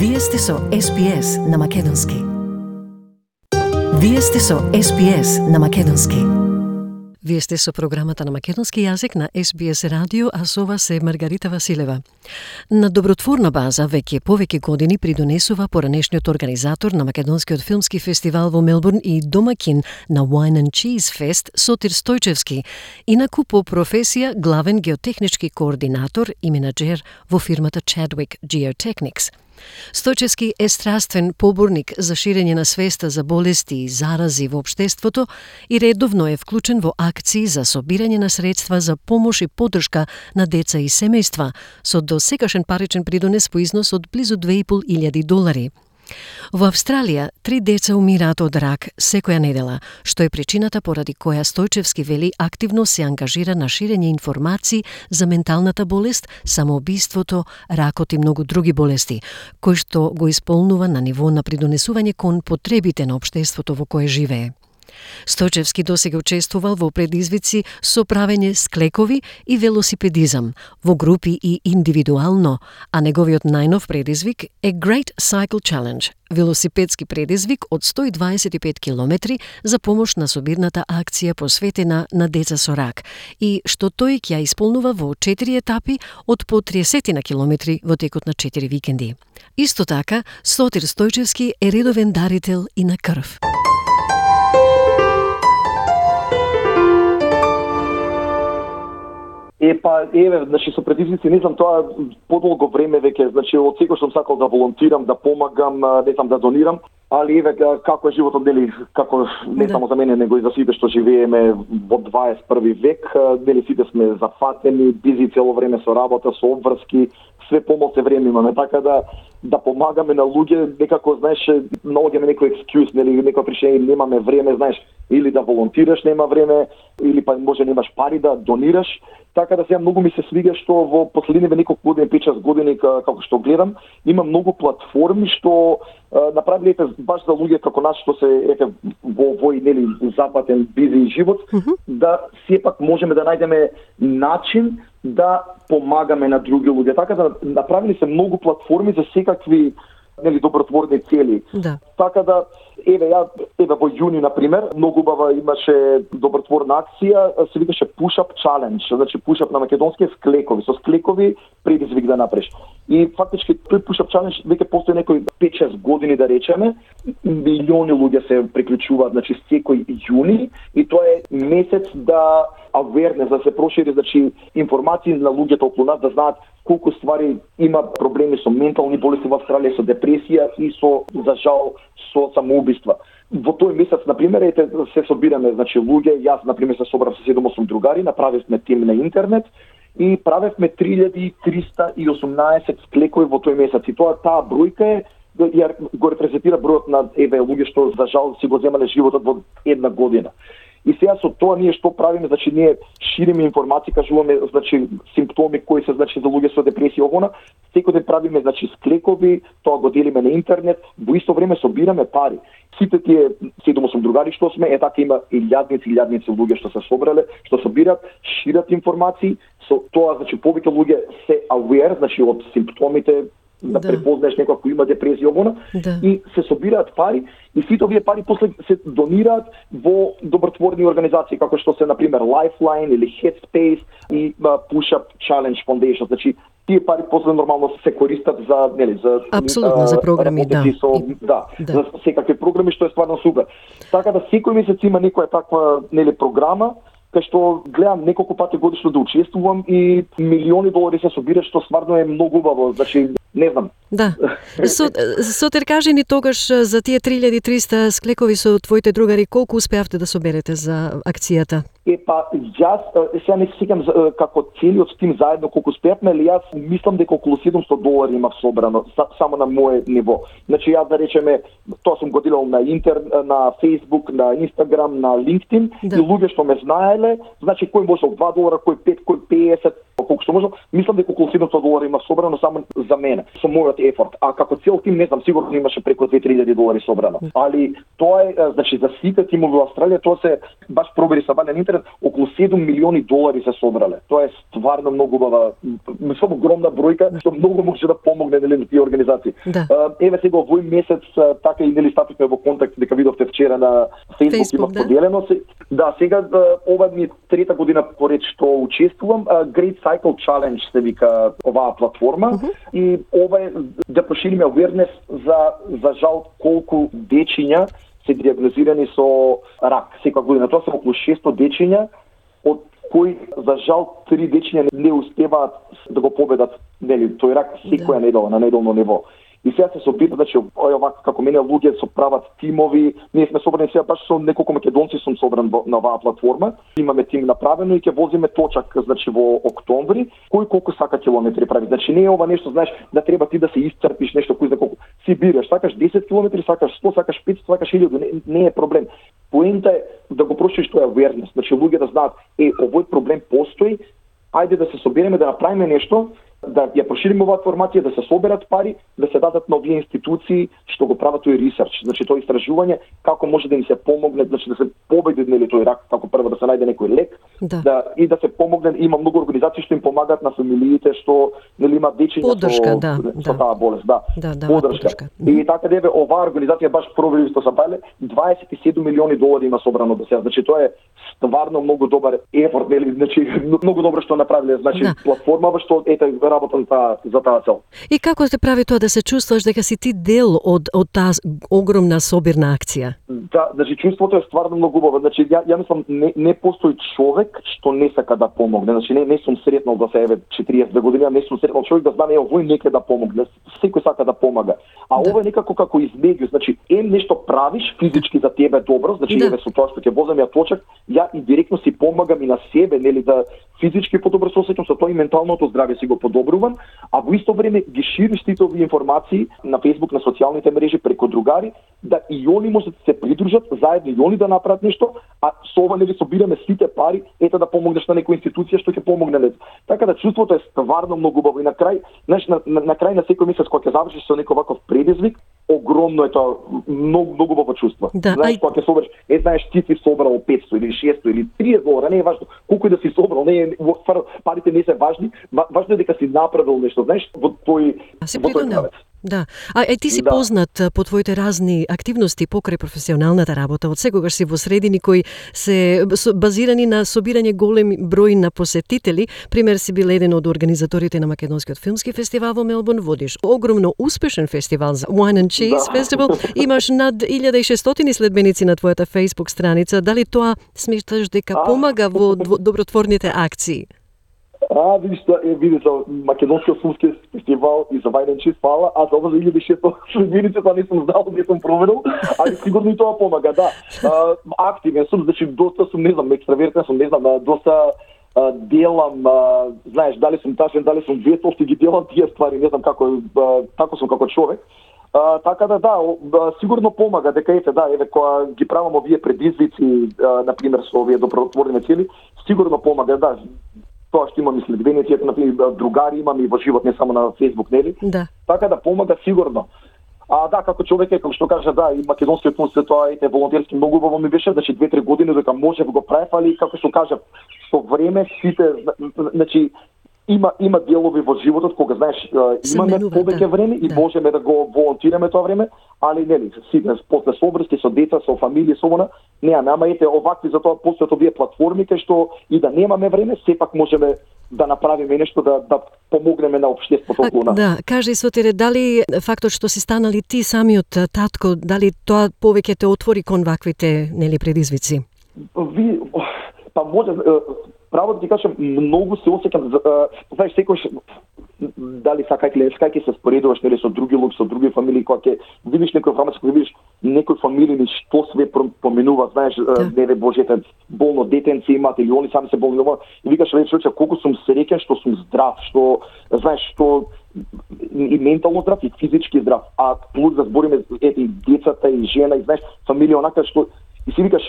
Вие сте со SPS на Македонски. Вие сте со SPS на Македонски. Вие сте со програмата на македонски јазик на SBS радио, а со вас е Маргарита Василева. На добротворна база веќе повеќе години придонесува поранешниот организатор на Македонскиот филмски фестивал во Мелбурн и домакин на Wine and Cheese Fest Сотир Стојчевски, инаку по професија главен геотехнички координатор и менаџер во фирмата Chadwick Geotechnics. Стојчевски е страствен поборник за ширење на свеста за болести и зарази во општеството и редовно е вклучен во акции за собирање на средства за помош и поддршка на деца и семејства, со досегашен паричен придонес по износ од близу $2.500. Во Австралија, 3 деца умираат од рак секоја недела, што е причината поради која Стојчевски вели активно се ангажира на ширење информации за менталната болест, самоубиството, ракот и многу други болести, кои што го исполнува на ниво на придонесување кон потребите на општеството во кое живее. Стојчевски досега учествувал во предизвици со правење склекови и велосипедизам, во групи и индивидуално, а неговиот најнов предизвик е Great Cycle Challenge, велосипедски предизвик од 125 километри за помош на собирната акција посветена на деца со рак, и што тој ќе ја исполнува во 4 етапи од по 30 на километри во текот на 4 викенди. Исто така, Сотир Стојчевски е редовен дарител и на крв. Значи со предизвици, не знам, тоа подолго време веќе, значи од секој сум сакал да волонтирам, да помагам, не знам, да донирам, али како е животот, нели, како не само за мене, него и за сите што живееме во 21 век, нели сите сме зафатени, бизи цело време со работа, со обврски, све помалку време имаме, така да помагаме на луѓе, некако, знаеш, наоѓаме некој екскјуз, нели, некоја причина, немаме време, знаеш, или да волонтираш, нема време, или па може немаш пари да донираш. Така да сега многу ми се свига што во последниве неколку години, 5-6 години, како што гледам, има многу платформи што направиле баш за луѓе како нас што се во овој, нели, западен бизи живот, да сепак можеме да најдеме начин да помагаме на други луѓе. Така да направили се многу платформи за секакви, нели, добротворни цели. Да. Така да во јуни, например, многу убава имаше добротворна акција, се викаше Push-Up Challenge, значи push-up на македонски склекови, со склекови предизвик да направиш. И фактички тој Push-Up Challenge веќе постои некои 5-6 години, да речеме, милиони луѓе се приклучуваат, значи секој јуни, и тоа е месец да awareness, да се прошири, значи информации на луѓето околу нас, да знаат колку ствари има проблеми со ментални болести во Австралија, со депресија и со, за жал, со самоубиства. Во тој месец, например, се собираме, значи луѓе, јас, например, се собрав со 7-8 другари, направивме тим на интернет и правевме 3318 склекови во тој месец. И таа бројка е, го репрезентира бројот на луѓе што, за жал, си го земале животот во една година. И сега со тоа ние што правиме, значи ние шириме информации, кажуваме, значи симптоми кои се, значи, за луѓе со депресија огона, секој ден правиме, значи, склекови, тоа го делиме на интернет, во исто време собираме пари. Сите тие 7-8 другари што сме, така има илјадници луѓе што се собрале, што собират, шират информации, со тоа, значи, повеќе луѓе се aware, значи, од симптомите, да препознаеш некој кој има депресија огона, и се собираат пари, и сите овие пари после се донираат во добротворни организации, како што се, например, Lifeline или Headspace и Push-Up Challenge Foundation. Значи, тие пари после нормално се користат за, нели, за апсолутно за програми, за секакви програми, што е стварно супер. Така да секој месец има некоја таква, нели, програма, кај што гледам неколку пати годишно да учествувам и милиони долари се собират, што стварно е многу убаво. Значи, не знам. Да. Сотир, кажи ни тогаш за тие 3300 склекови со твоите другари, колку успеавте да соберете за акцијата? Јас сега не се сеќам како целиот тим заедно колку успеавме, али јас мислам дека околу $700 имав собрано само на моје ниво. Значи јас, да речеме, тоа сум го делал на на Facebook, на Instagram, на LinkedIn, и луѓе што ме знаеле, значи кој можел $2, кој 5, кој 50, колку што можел, мислам дека околу $700 имав собрано само за мене, со мојот ефорт. А како цел тим, не знам, сигурно имаше преку $2000 собрано. Али тоа е, значи, за сите тимови во Австралија, тоа се баш пробери са вален интернет, околу 7 милиони долари се собрале. Тоа е стварно многу убава, мислам огромна бројка, што многу може да помогне на тие организации. Да. Еве сега овој месец така и стапивме во контакт, дека видовте вчера на Facebook има поделено. Да, сега ова ми е трета година поред што учествувам. Great Cycle Challenge се вика оваа платформа и ова е да прошириме awareness за жал колку дечиња се диагнозирани со рак секоја година. Тоа се околу 600 дечиња, од кои за жал 3 дечиња не успеваат да го победат тој рак секоја недела на неделно ниво. И сега се опитат, значи, овака како мене луѓе со прават тимови. Ние сме собрани сега баш со неколку македонци сум собран на оваа платформа. Имаме тим направено и ќе возиме точак, значи во октомври, кој колку сака километри прави. Значи не е ова нешто, знаеш, да треба ти да се исцрпиш нешто кој за колку си бираш, сакаш 10 километри, сакаш 100, сакаш 500, сакаш 1000, не е проблем. Поента е да го прошириш тој awareness, значи луѓе да знаат, овој проблем постои, ајде да се собереме да направиме нешто, да ја прошириме оваа информација, да се соберат пари, да се дадат на овие институции што го прават тој ресерч, значи тоа истражување како може да им се помогне, значи да се победи тој рак, како прво да се најде некој лек, и да се помогне. Има многу организации што им помагаат на фамилиите што имаат дечиња со таа болест, подршка. И така деве оваа организација баш провели што се бајле 27 милиони долари има собрано до сега. Значи тоа е стварно многу добар ефорт, значи многу добро што направиле, значи платформа што работам за таа цел. И како те прави тоа да се чувствуваш дека си ти дел од таа огромна собирна акција? Да, значи чувството е стварно многу убаво. Значи ја мислам не постои човек што не сака да помогне. Значи не сум сретнал да се 42 години, не сум сретнал човек да знае овој нека да помогне. Секој сака да помага. А ова е некако како измеѓу, значи нешто правиш физички за тебе добро, значи со тоа што ќе возам ја точак, ја и директно си помагам и на себе, да физички подобро се осеќам, со тоа и менталното здравје си го подобрувам, а во исто време ги шириш сите овие информации на Facebook, на социјалните мрежи преку другари, да и они може да се придружат заедно и они да направат нешто, а со ова собираме сите пари, да помогнеш на некоја институција што ќе помогне. Така да чувството е стварно многу убаво и на крај, знаеш, на крај на секој месец кога ќе завршиш со некој ваков предизвик, огромно е тоа, многу убаво чувство. Знаеш, кога ќе собереш, знаеш, ти си собрал 500 или 600 или 30 долара, не е важно колку да си собрал, парите не се важни, важно е дека си направил нешто, знаеш, во тој правец. Да. Ти си познат по твоите разни активности покрај професионалната работа. Од секогаш си во средини кои се базирани на собирање голем број на посетители. Пример си бил еден од организаторите на Македонскиот филмски фестивал во Мелбурн. Водиш огромно успешен фестивал за Wine and Cheese Festival. Имаш над 1600 следбеници на твојата Facebook страница. Дали тоа сметаш дека помага во добротворните акции? Видиш, Македонскиот филмски фестивал и за Wine and Cheese фала, а за ова за 1600 следбеници тоа не сум знал, не сум проверил, али сигурно и тоа помага, да. Активен сум, значи доста сум, не знам, екстравертен сум, не знам, доста делам, знаеш, дали сум тажен, дали сум ветост и ги делам тие ствари, не знам како сум како човек. Така да, сигурно помага дека кога ги правам овие предизвици, на пример со овие добротворни цели, сигурно помага, да. Тоа што имам и следбеници, другари имам и во живот, не само на Facebook, нели? Да. Така да помага сигурно. Како човек како што кажа, и Македонскиот филм се тоа волонтерски многу убаво ми беше, значи 2-3 години дека можев го правев, али како што кажа, со време сите, значи има делови во животот кога знаеш имаме повеќе време и можеме да го волонтираме тоа време, али нели сега после собрски со деца, со фамилија, со она, ама овакви за тоа постојат овие платформи кај што и да немаме време, сепак можеме да направиме нешто да помогнеме на општеството околу нас. Да, кажи Сотире, дали фактот што си станали ти самиот татко, дали тоа повеќе те отвори кон ваквите предизвици? Може право да ти кажам, многу се осеќам, знаеш, секојаш дали сакајќи се споредуваш со други луѓе, со други фамилии, кога ќе видиш некој информација, кога видиш некој фамилии што све поминува, знаеш, неве Божете, болно детенци имаат или они сами се болни, и викаш, човече, колку сум среќен што сум здрав, што знаеш, што и ментално здрав, и физички здрав, а плюс да збориме и децата и жена, и знаеш, фамилија онака што и си викаш,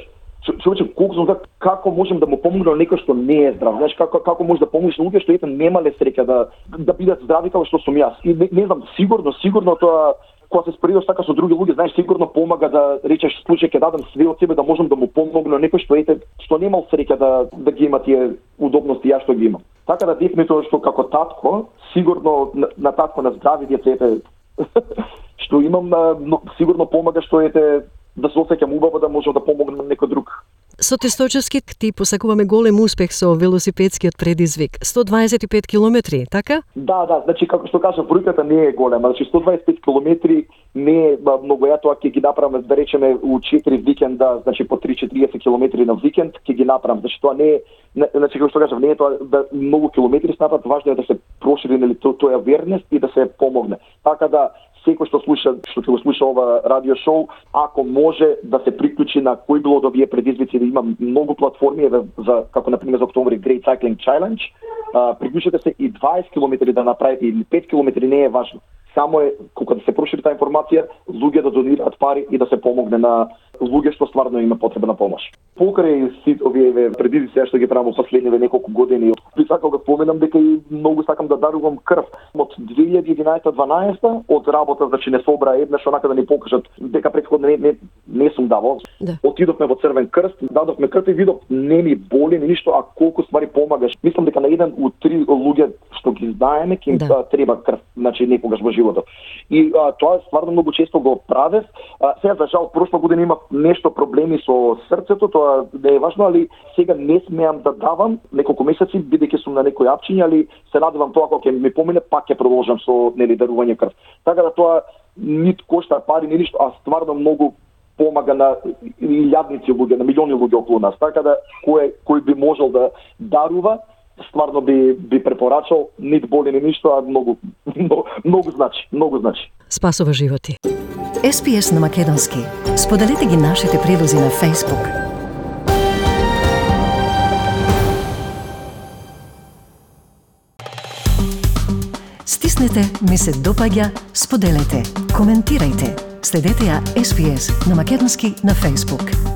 човече, колку сум како можем да му помогнем некој што не е здрав. Знаеш, како може да помогнеш на луѓе што ете немале среќа да бидат здрави како што сум јас. И не знам, сигурно тоа кога се споредиш така со други луѓе, знаеш, сигурно помага да речеш случај ќе дадам све од себе да можам да му помогнам некој што ете што немал среќа да ги има тие удобности јас што ги имам. Така да дефинитивно што како татко, сигурно на татко на здрави деца што имам, сигурно помага што ете да се осеќам убаво да можам да помогнам на некој друг. Со Тестојчевски ти посакуваме голем успех со велосипедскиот предизвик. 125 километри, така? Да, значи како што кажа, бројката не е голема. Значи 125 километри не е многу. Ја тоа ќе ги направам, да речеме, у 4 викенда, значи по 3-40 километри на викенд ќе ги направам. Значи тоа не е, значи како што кажав, не е тоа да многу километри снапат, важно е да се прошири нели тој awareness и да се помогне. Така да секој што ќе го слуша ова радио шоу, ако може да се приклучи на кој било од овие предизвици, да има многу платформи за како на пример за октомври Great Cycling Challenge, приклучете се и 20 километри да направите или 5 километри, не е важно. Само е кога да се прошири таа информација, луѓе да донираат пари и да се помогне на луѓе што стварно има потреба на помош. Покрај сите овие предизвици што ги правам во последниве неколку години, би сакал да споменам дека и многу сакам да дарувам крв. Од 2011-12 од работа, значи не собра еднаш онака да ни покажат дека претходно не сум давал. Да. Отидовме во Црвен крст, дадовме крв и видов не ми боли ни ништо, а колку ствари помагаш. Мислам дека на еден од 3 луѓе што ги знаеме ќе им треба крв, значи некогаш во животот. И тоа стварно многу често го правев. Сега за жал прошла година има нешто проблеми со срцето, тоа не е важно, али сега не смеам да давам неколку месеци бидејќи сум на некој апчиња, али се надевам тоа кога ќе ми помине пак ќе продолжам со дарување крв. Така да тоа нит кошта пари ни ништо, а стварно многу помага на илјадници луѓе, на милиони луѓе околу нас. Така да кој би можел да дарува, стварно би препорачал, нит боли ни ништо, а многу значи. Спасува животи. SPS на македонски. Споделете ги нашите прилози на Facebook. Стиснете ми се допаѓа, споделете, коментирајте. Следете ја SPS на македонски на Facebook.